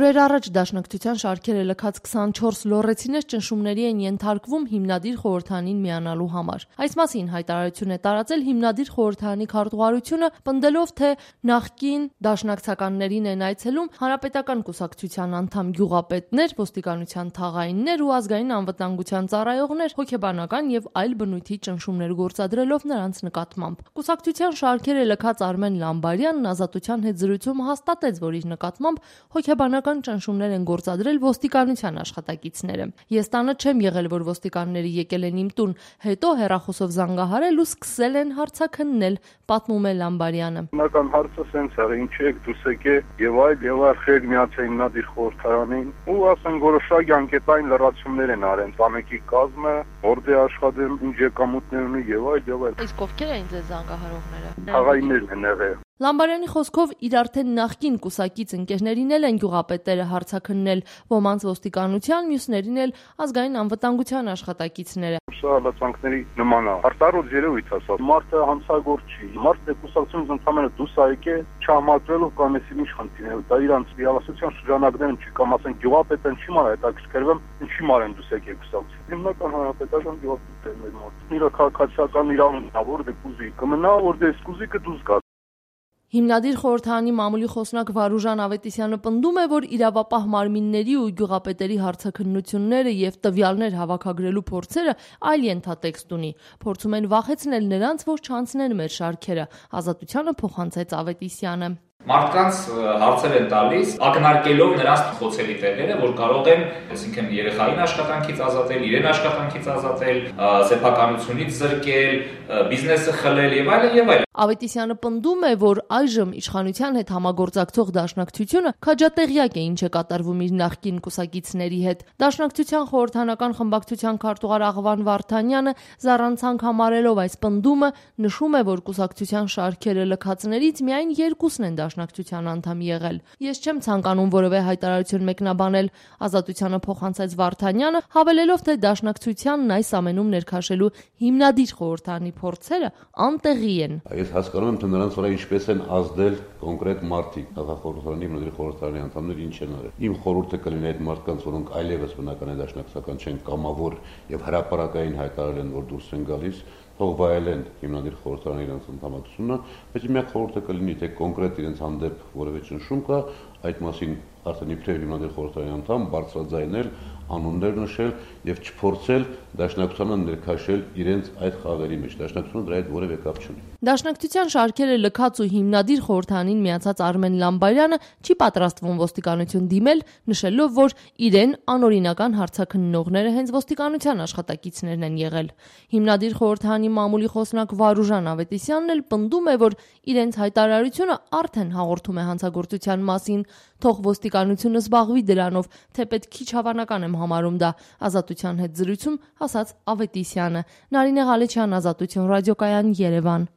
Օրեր առաջ Դաշնակցության շարքերը լքած 24 լոռեցիներ ճնշումների են ենթարկվում հիմնադիր խորհրդանին միանալու համար։ Այս մասին հայտարարություն է տարածել հիմնադիր խորհրդանի քարտուղարությունը, պնդելով, թե նախկին դաշնակցականներին են այցելում Հանրապետական կուսակցության անդամ գյուղապետներ, ոստիկանության թաղայիններ ու ազգային անվտանգության ծառայողներ, հոգեբանական եւ այլ բնույթի ճնշումներ գործադրելով նրանց նկատմամբ։ Կուսակցության շարքերը լքած Արմեն Լամբարյանն Ազատության հետ զրույցում հաստատեց, որ իր նկատմամբ հոգեբանական ճնշումներ են գործադրել ոստիկանության աշխատակիցները։ Ես տանը չեմ եղել, որ ոստիկանները եկել են իմ տուն, հետո հեռախոսով զանգահարել ու սկսել են հարցաքննել, պատմում է Լամբարյանը։ Հիմնական հարցը սենց է, ինչի եք դուս եկե եւ այլ խեր միացել հիմնադիր խորհրդարանին ու ասեն որոշակի անկետային լրացումներ են արեն տանեկի կազմը, որտեղ աշխատել ինչ եկամուտներ ունի եւ այլ։ Իսկ ովքեր էին ձեզ զանգահարողները։ Թաղայիններն են եղել։ Լամբարյանի խոսքով իր արդեն նախկին կուսակից ընկերներին են գյուղապետերը հարցաքննել, ոմանց ոստիկանության, մյուսներին էլ ազգային անվտանգության աշխատակիցները։ Սա հալածանքների նման է։ Արտարոց երևույթ ասած, մարդը հանցագործ չի, մարդը կուսակցությունից ընդհանրապես դուրս է եկել չհամաձայնելով կամ էսի ինչ խնդիր է, դա իրանց իրավասության շրջանակներում չի կամ ասեն գյուղապետեն չի մար հետաքրքրվում, ինչի մար են դուրս եկել կուսակցություն։ Հիմնական հանրապետական գյուղապետերն են մոտ։ Իրա քաղաքացիական իրավունքն է, որ դե կուզի կմնա, որ դե կուզիկը դուրս գա։ Հիմնադիր խորհրդանի մամուլի խոսնակ Վարուժան Ավետիսյանը պնդում է, որ իրավապահ մարմինների ու գյուղապետերի հարցաքննությունները եւ տվյալներ հավաքագրելու փորձերը այլ ենթատեքստ ունի։ Փորձում են վախեցնել նրանց, որ չանցնեն մեր շարքերը։ Ազատությանը փոխանցեց Ավետիսյանը։ Մարդկանց հարցեր են տալիս, ակնարկելով նրանց խոցելի տեղերը, որ կարող են, այսինքն երեխային աշխատանքից ազատել, իրեն աշխատանքից ազատել, սեփականությունից զրկել, բիզնեսը խլել եւ այլն։ Ավետիսյանը պնդում է, որ այժմ իշխանության հետ համագործակցող Դաշնակցությունը քաջատեղյակ է ինչ է կատարվում իր նախկին կուսակիցների հետ։ Դաշնակցության խորհրդանական խմբակցության քարտուղար Աղվան Վարդանյանը զառանցանք համարելով այս պնդումը նշում է, որ կուսակցության շարքերը լքածներից միայն երկուսն են Դաշնակցության անդամ եղել։ Ես չեմ ցանկանում որևէ հայտարարություն մեկնաբանել, Ազատությանը փոխանցեց Վարդանյանը, հավելելով, թե Դաշնակցությանն այս ամենում ներքաշելու հիմնադիր խորհրդանի փորձերը անտեղի են։ Ես հասկանում եմ, թե նրանց վրա ինչպես են ազդել կոնկրետ մարդիկ, քաղաքախորհրդարանի հիմնադիր խորհրդարանի անդամներ ինչ են արել։ Իմ խորհուրդը կլինի այդ մարդկանց, որոնք այլևս բնական է դաշնակցական չեն կամավոր եւ հրապարակային հայտարարել են, որ դուրս են գալիս, թող վայելեն հիմնադիր խորհրդարանի իրենց ընդհանրությունը, բայց իմ խորհուրդը կլինի, թե կոնկրետ իրենց հանդեպ որևէ ճնշում կա, այդ մասին արդեն իբրև հիմնադիր խորհրդարանի անդամ բարձրաձայնել, անուններ նշել եւ չփորձել Դաշնակցությանը ներքաշել իրենց այդ խաղերի մեջ։ Դաշնակցությունը դրա հետ որևէ կապ չունի։ Դաշնակցության շարքերը լքած ու հիմնադիր խորհրդանին միացած Արմեն Լամբարյանը չի պատրաստվում ոստիկանություն դիմել, նշելով, որ իրեն անօրինական հարցաքննողները հենց ոստիկանության աշխատակիցներն են եղել։ Հիմնադիր խորհրդանի մամուլի խոսնակ Վարուժան Ավետիսյանն էլ պնդում է, որ իրենց հայտարարությունը արդեն հաղորդում է հանցագործության մասին, թող ոստիկանությունը զբաղվի դրանով, թեպետ քիչ հավանական եմ համարում դա, Ազատության հետ զրույցում ասաց Ավետիսյանը։ Նարինե Ղալեչյան, Ազատություն ռադիոկայան, Երևան։